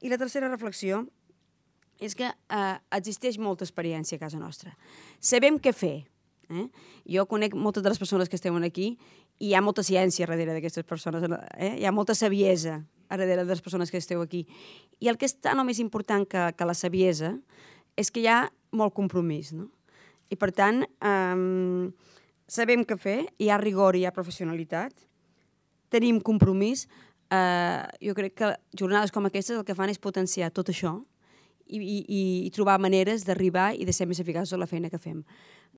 I la tercera reflexió és que existeix molta experiència a casa nostra. Sabem què fer. Jo conec moltes de les persones que estem aquí i hi ha molta ciència darrere d'aquestes persones. Hi ha molta saviesa darrere de les persones que esteu aquí. I el que és tan o més important que la saviesa és que hi ha molt compromís, no? I per tant, sabem què fer, hi ha rigor i hi ha professionalitat, tenim compromís. Jo crec que jornades com aquestes el que fan és potenciar tot això i trobar maneres d'arribar i de ser més eficaços en la feina que fem.